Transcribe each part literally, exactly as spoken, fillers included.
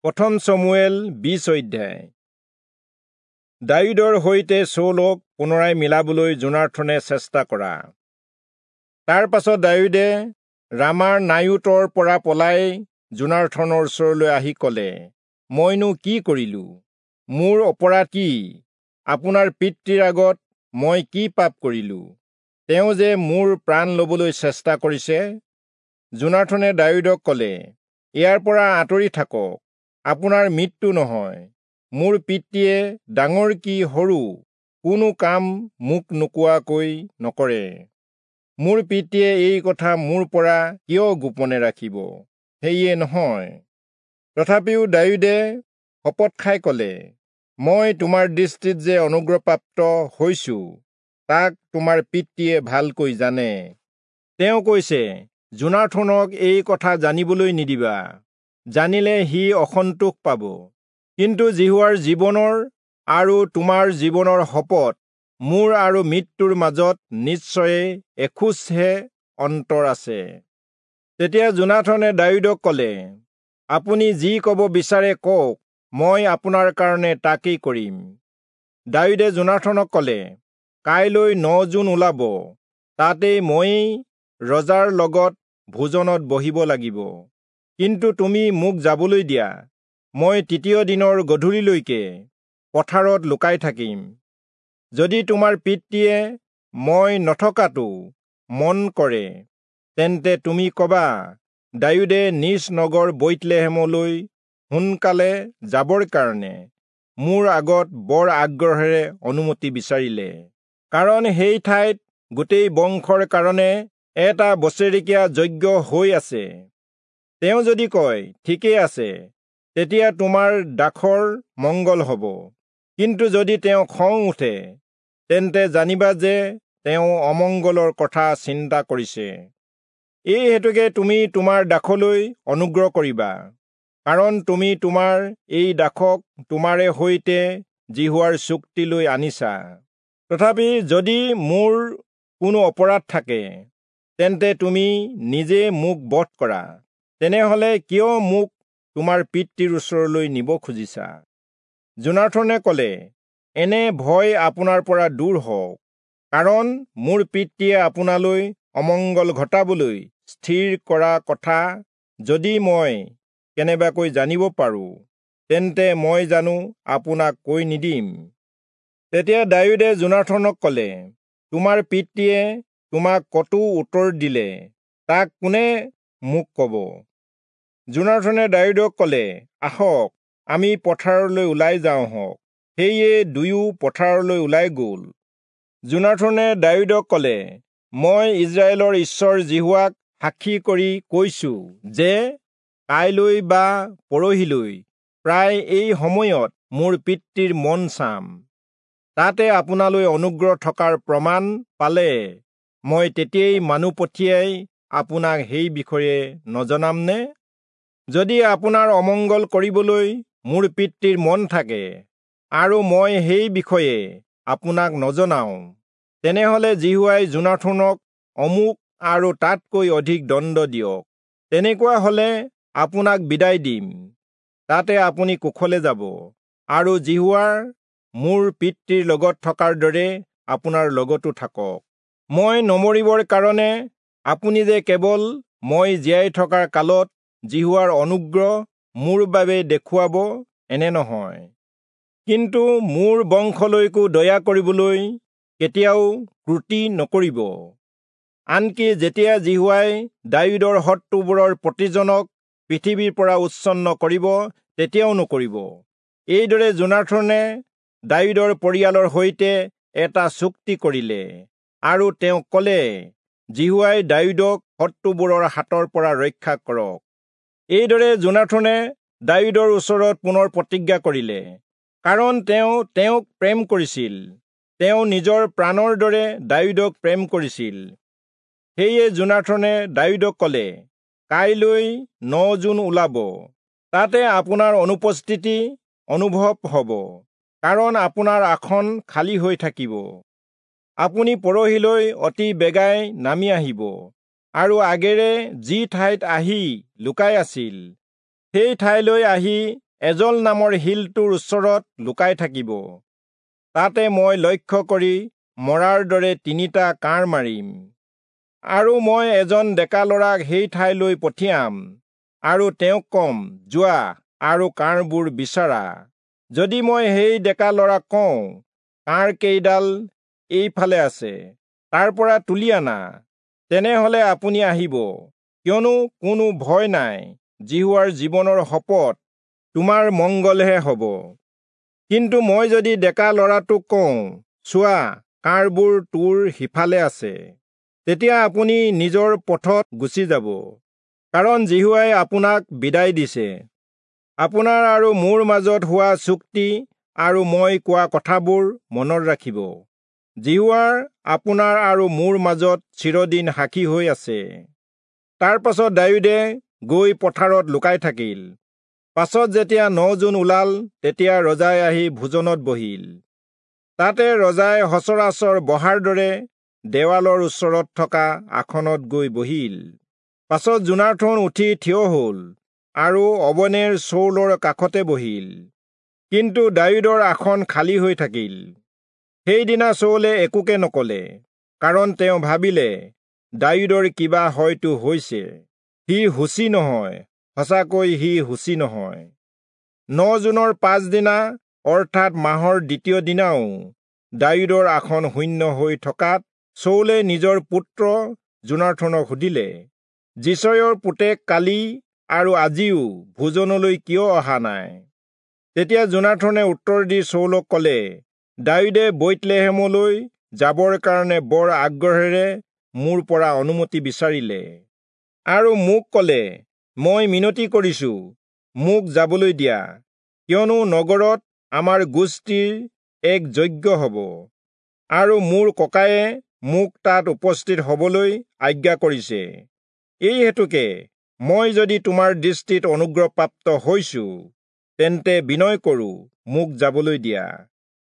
প্ৰথম চমূৱেল বিশ অধ্যায়। দায়ূদৰ সৈতে চৌলক পুনৰাই মিলাবলৈ যোনাথনে চেষ্টা কৰা। তাৰ পাছত দায়ূদে ৰামাৰ নায়োতৰ পৰা পলাই যোনাথনৰ ওচৰলৈ আহি কলে, মইনো কি কৰিলো? মোৰ অপৰাধ কি? আপোনাৰ পিতৃৰ আগত মই কি পাপ কৰিলো? তেওঁ যে মোৰ প্ৰাণ লবলৈ চেষ্টা কৰিছে। যোনাথনে দায়ূদক কলে, ইয়াৰ পৰা আঁতৰি থাকক, আপোনাৰ মৃত্যু নহয়। মোৰ পিতৃয়ে ডাঙৰ কি সৰু কোনো কাম মোক নোকোৱাকৈ নকৰে। মোৰ পিতৃয়ে এই কথা মোৰ পৰা কিয় গোপনে ৰাখিব? সেয়ে নহয়। তথাপিও দায়ূদে শপত খাই কলে, মই তোমাৰ দৃষ্টিত যে অনুগ্ৰহপ্ৰাপ্ত হৈছো, তাক তোমাৰ পিতৃয়ে ভালকৈ জানে। তেওঁ কৈছে, যোনাথনক এই কথা জানিবলৈ নিদিবা, জানিলে সি অসন্তোষ পাব। কিন্তু যিহোৱাৰ জীৱনৰ আৰু তোমাৰ জীৱনৰ শপত, মোৰ আৰু মৃত্যুৰ মাজত নিশ্চয়ে এখোজহে অন্তৰ আছে। তেতিয়া যোনাথনে দায়ূদক কলে, আপুনি যি কব বিচাৰে কওক, মই আপোনাৰ কাৰণে তাকেই কৰিম। দায়ূদে যোনাথনক কলে, কাইলৈ ন জোন ওলাব, তাতেই ময়েই ৰজাৰ লগত ভোজনত বহিব লাগিব। কিন্তু তুমি মোক যাবলৈ দিয়া, মই তৃতীয় দিনৰ গধূলিলৈকে পথাৰত লুকাই থাকিম। যদি তোমাৰ পিতৃয়ে মই নথকাটো মন কৰে, তেন্তে তুমি কবা, দায়ূদে নিজ নগৰ বৈৎলেহেমলৈ সোনকালে যাবৰ কাৰণে মোৰ আগত বৰ আগ্ৰহেৰে অনুমতি বিচাৰিলে। কাৰণ সেই ঠাইত গোটেই বংশৰ কাৰণে এটা বছেৰেকীয়া যজ্ঞ হৈ আছে। তেওঁ যদি কয়, ঠিকেই আছে, তেতিয়া তোমাৰ দাসৰ মংগল হ'ব। কিন্তু যদি তেওঁ খং উঠে, তেন্তে জানিবা যে তেওঁ অমংগলৰ কথা চিন্তা কৰিছে। এই হেতুকে তুমি তোমাৰ দাসলৈ অনুগ্ৰহ কৰিবা, কাৰণ তুমি তোমাৰ এই দাসক তোমাৰে সৈতে যিহোৱাৰ চুক্তিলৈ আনিছা। তথাপি যদি মোৰ কোনো অপৰাধ থাকে, তেন্তে তুমি নিজে মোক বধ কৰা। তেনেহলে কিয় মোক তোমাৰ পিতৃৰ ওচৰলৈ নিব খুজিছা? যোনাথনে কলে, এনে ভয় আপোনাৰ পৰা দূৰ হওক, কাৰণ মোৰ পিতৃয়ে আপোনালৈ অমংগল ঘটাবলৈ স্থিৰ কৰা কথা যদি মই কেনেবাকৈ জানিব পাৰোঁ, তেন্তে মই জানো আপোনাক কৈ নিদিম? তেতিয়া দায়ূদে যোনাথনক কলে, তোমাৰ পিতৃয়ে তোমাক কতো উত্তৰ দিলে, তাক কোনে মোক কব? যোনাথনে দায়ূদক কলে, আহক, আমি পথাৰলৈ ওলাই যাওঁ হওক। সেয়ে দুয়ো পথাৰলৈ ওলাই গল। যোনাথনে দায়ূদক কলে, মই ইস্ৰায়েলৰ ঈশ্বৰ যিহোৱাক সাক্ষী কৰি কৈছো যে কাইলৈ বা পৰহিলৈ প্ৰায় এই সময়ত মোৰ পিতৃৰ মন চাম। তাতে আপোনালৈ অনুগ্ৰহ থকাৰ প্ৰমাণ পালে মই তেতিয়াই মানুহ পঠিয়াই আপোনাক সেই বিষয়ে নজনামনে? যদি আপোনাৰ অমংগল কৰিবলৈ মোৰ পিতৃৰ মন থাকে আৰু মই সেই বিষয়ে আপোনাক নজনাওঁ, তেনেহলে যিহোৱাই যোনাথনক অমুক আৰু তাতকৈ অধিক দণ্ড দিয়ক। তেনেকুৱা হলে আপোনাক বিদায় দিম, তাতে আপুনি কুশলে যাব, আৰু যিহোৱাৰ মোৰ পিতৃৰ লগত থকাৰ দৰে আপোনাৰ লগতো থাকক। মই নমৰিবৰ কাৰণে আপুনি যে কেৱল মই জীয়াই থকাৰ কালত যিহোৱাৰ অনুগ্ৰহ মোৰ বাবে দেখুৱাব এনে নহয়, কিন্তু মোৰ বংশলৈকো দয়া কৰিবলৈ কেতিয়াও ত্ৰুটি নকৰিব। আনকি যেতিয়া যিহোৱাই দায়ূদৰ শত্ৰুবোৰৰ প্ৰতিজনক পৃথিৱীৰ পৰা উচ্ছন্ন কৰিব, তেতিয়াও নকৰিব। এইদৰে যোনাথনে দায়ূদৰ পৰিয়ালৰ সৈতে এটা চুক্তি কৰিলে আৰু তেওঁক কলে, যিহোৱাই দায়ূদক শত্ৰুবোৰৰ হাতৰ পৰা ৰক্ষা কৰক। এইদৰে যোনাথনে দায়ূদৰ ওচৰত পুনৰ প্ৰতিজ্ঞা কৰিলে, কাৰণ তেওঁ তেওঁক প্ৰেম কৰিছিল। তেওঁ নিজৰ প্ৰাণৰ দৰে দায়ূদক প্ৰেম কৰিছিল। সেয়ে যোনাথনে দায়ূদক কলে, কাইলৈ ন জোন ওলাব, তাতে আপোনাৰ অনুপস্থিতি অনুভৱ হ'ব, কাৰণ আপোনাৰ আসন খালী হৈ থাকিব। আপুনি পৰহিলৈ অতি বেগাই নামি আহিব, আৰু আগেৰে যি ঠাইত আহি লুকাই আছিল, সেই ঠাইলৈ আহি এজল নামৰ শিলটোৰ ওচৰত লুকাই থাকিব। তাতে মই লক্ষ্য কৰি মৰাৰ দৰে তিনিটা কাঁড় মাৰিম। আৰু মই এজন ডেকা ল'ৰাক সেই ঠাইলৈ পঠিয়াম আৰু তেওঁক কম, যোৱা আৰু কাঁড়বোৰ বিচাৰা। যদি মই সেই ডেকা ল'ৰাক কওঁ, কাঁড় কেইডাল এইফালে আছে, তাৰ পৰা তুলি আনা, তেনেহলে আপুনি আহিব, কিয়নো কোনো ভয় নাই, যিহোৱাৰ জীৱনৰ শপত তোমাৰ মংগলহে হ'ব। কিন্তু মই যদি ডেকা ল'ৰাটোক কওঁ, চোৱা, কাঁড়বোৰ তোৰ সিফালে আছে, তেতিয়া আপুনি নিজৰ পথত গুচি যাব, কাৰণ যিহোৱাই আপোনাক বিদায় দিছে। আপোনাৰ আৰু মোৰ মাজত হোৱা চুক্তি আৰু মই কোৱা কথাবোৰ মনত ৰাখিব। যিহোৱাৰ আপোনাৰ আৰু মোৰ মাজত চিৰদিন সাক্ষী হৈ আছে। তাৰ পাছত দায়ূদে গৈ পথাৰত লুকাই থাকিল। পাছত যেতিয়া ন জোন ওলাল, তেতিয়া ৰজাই আহি ভোজনত বহিল। তাতে ৰজাই সচৰাচৰ বহাৰ দৰে দেৱালৰ ওচৰত থকা আসনত গৈ বহিল। পাছত যোনাথন উঠি থিয় হ'ল আৰু অবনেৰ চৌলৰ কাষতে বহিল। কিন্তু দায়ূদৰ আসন খালী হৈ থাকিল। সেইদিনা চৌলে একোকে নকলে, কাৰণ তেওঁ ভাবিলে, দায়ূদৰ কিবা হয়তো হৈছে, সি শুচি নহয়, সঁচাকৈ সি শুচি নহয়। ন জোনৰ পাছদিনা অৰ্থাৎ মাহৰ দ্বিতীয় দিনাও দায়ূদৰ আসন শূন্য হৈ থকাত চৌলে নিজৰ পুত্ৰ যোনাথনক সুধিলে, যিচয়ৰ পুতেক কালি আৰু আজিও ভোজনলৈ কিয় অহা নাই? তেতিয়া যোনাথনে উত্তৰ দি চৌলক কলে, দায়ূদে বৈৎলেহেমলৈ যাবৰ কাৰণে বৰ আগ্ৰহেৰে মোৰ পৰা অনুমতি বিচাৰিলে আৰু মোক কলে, মই মিনতি কৰিছো, মোক যাবলৈ দিয়া, কিয়নো নগৰত আমাৰ গোষ্ঠীৰ এক যজ্ঞ হ'ব, আৰু মোৰ ককায়ে মোক তাত উপস্থিত হবলৈ আজ্ঞা কৰিছে। এই হেতুকে মই যদি তোমাৰ দৃষ্টিত অনুগ্ৰহপ্ৰাপ্ত হৈছো, তেন্তে বিনয় কৰো, মোক যাবলৈ দিয়া,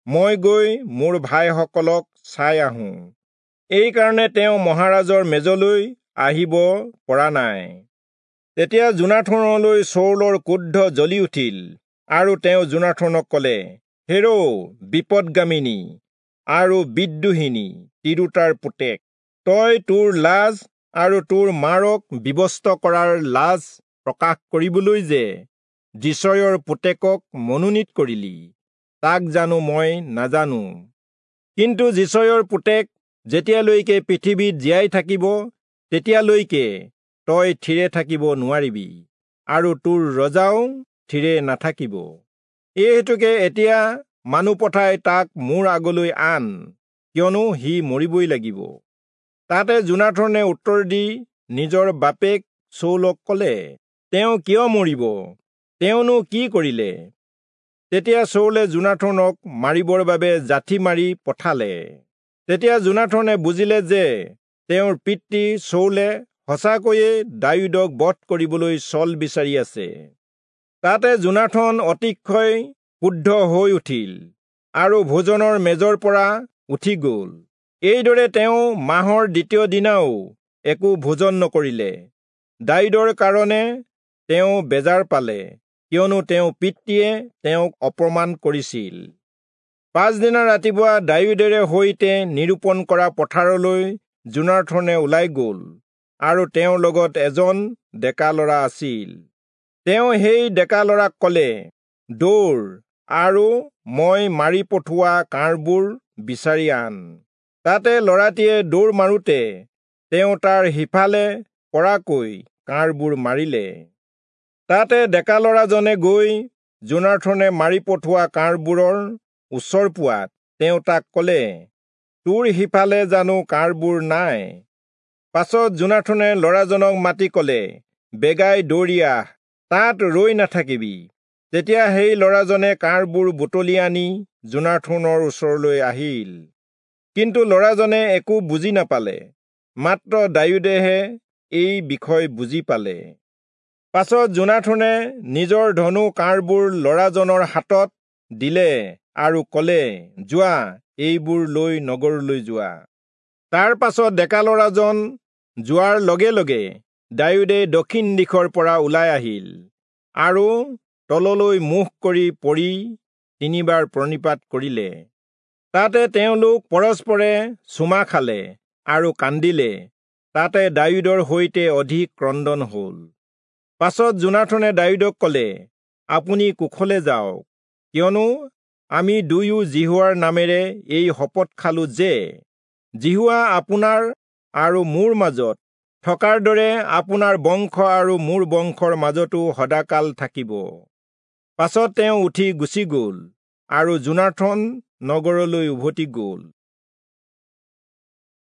মই গৈ মোৰ ভাইসকলক চাই আহোঁ। এইকাৰণে তেওঁ মহাৰাজৰ মেজলৈ আহিব পৰা নাই। তেতিয়া যোনাথনলৈ চৌলৰ ক্ৰোধ জ্বলি উঠিল, আৰু তেওঁ যোনাথনক কলে, হেৰৌ বিপদগামিনী আৰু বিদ্ৰোহিনী তিৰোতাৰ পুতেক, তই তোৰ লাজ আৰু তোৰ মাৰক বিৱস্ত্ৰ কৰাৰ লাজ প্ৰকাশ কৰিবলৈ যে যিচয়ৰ পুতেকক মনোনীত কৰিলি, তাক জানো মই নাজানো? কিন্তু যিচয়ৰ পুতেক যেতিয়ালৈকে পৃথিৱীত জীয়াই থাকিব, তেতিয়ালৈকে তই থিৰে থাকিব নোৱাৰিবি, আৰু তোৰ ৰজাও থিৰে নাথাকিব। এই হেতুকে এতিয়া মানুহ পঠাই তাক মোৰ আগলৈ আন, কিয়নো সি মৰিবই লাগিব। তাতে যোনাথনে উত্তৰ দি নিজৰ বাপেক চৌলক কলে, তেওঁ কিয় মৰিব? তেওঁনো কি কৰিলে? তেতিয়া চৌলে যোনাথনক মাৰিবৰ বাবে যাঠি মাৰি পঠালে। তেতিয়া যোনাথনে বুজিলে যে তেওঁৰ পিতৃ চৌলে সঁচাকৈয়ে দায়ূদক বধ কৰিবলৈ ছল বিচাৰি আছে। তাতে যোনাথন অতিশয় ক্ৰুদ্ধ হৈ উঠিল আৰু ভোজনৰ মেজৰ পৰা উঠি গ'ল। এইদৰে তেওঁ মাহৰ দ্বিতীয় দিনাও একো ভোজন নকৰিলে। দায়ূদৰ কাৰণে তেওঁ বেজাৰ পালে, কিয়নো তেওঁ পিতৃয়ে তেওঁক অপমান কৰিছিল। পাছদিনা ৰাতিপুৱা দায়ূদেৰে সৈতে নিৰূপণ কৰা পথাৰলৈ যোনাথনে ওলাই গ'ল, আৰু তেওঁৰ লগত এজন ডেকা ল'ৰা আছিল। তেওঁ সেই ডেকা ল'ৰাক ক'লে, দৌৰ আৰু মই মাৰি পঠোৱা কাঁড়বোৰ বিচাৰি আন। তাতে ল'ৰাটিয়ে দৌৰ মাৰোঁতে তেওঁ তাৰ সিফালে পৰাকৈ কাঁড়বোৰ মাৰিলে। তাতে ডেকা ল'ৰাজনে গৈ যোনাথনে মাৰি পঠোৱা কাঁড়বোৰৰ ওচৰ পোৱাত তেওঁ তাক ক'লে, তোৰ সিফালে জানো কাঁড়বোৰ নাই? পাছত যোনাথনে ল'ৰাজনক মাতি ক'লে, বেগাই দৌৰি আহ, তাত ৰৈ নাথাকিবি। তেতিয়া সেই ল'ৰাজনে কাঁড়বোৰ বুটলি আনি যোনাথনৰ ওচৰলৈ আহিল। কিন্তু ল'ৰাজনে একো বুজি নাপালে, মাত্ৰ দায়ূদেহে এই বিষয় বুজি পালে। পাছত যোনাথনে নিজৰ ধনু কাঁড়বোৰ ল'ৰাজনৰ হাতত দিলে আৰু ক'লে, যোৱা, এইবোৰ লৈ নগৰলৈ যোৱা। তাৰ পাছত ডেকা ল'ৰাজন যোৱাৰ লগে লগে দায়ূদে দক্ষিণ দিশৰ পৰা ওলাই আহিল আৰু তললৈ মুখ কৰি পৰি তিনিবাৰ প্ৰণিপাত কৰিলে। তাতে তেওঁলোক পৰস্পৰে চুমা খালে আৰু কান্দিলে। তাতে দায়ূদৰ সৈতে অধিক ক্ৰন্দন হল। পাছত যোনাথনে দায়ূদক কলে, আপুনি কুশলে যাওক, কিয়নো আমি দুয়ো যিহোৱাৰ নামেৰে এই শপত খালো যে যিহোৱা আপোনাৰ আৰু মোৰ মাজত থকাৰ দৰে আপোনাৰ বংশ আৰু মোৰ বংশৰ মাজতো সদাকাল থাকিব। পাছত তেওঁ উঠি গুচি গল আৰু যোনাথন নগৰলৈ উভতি গল।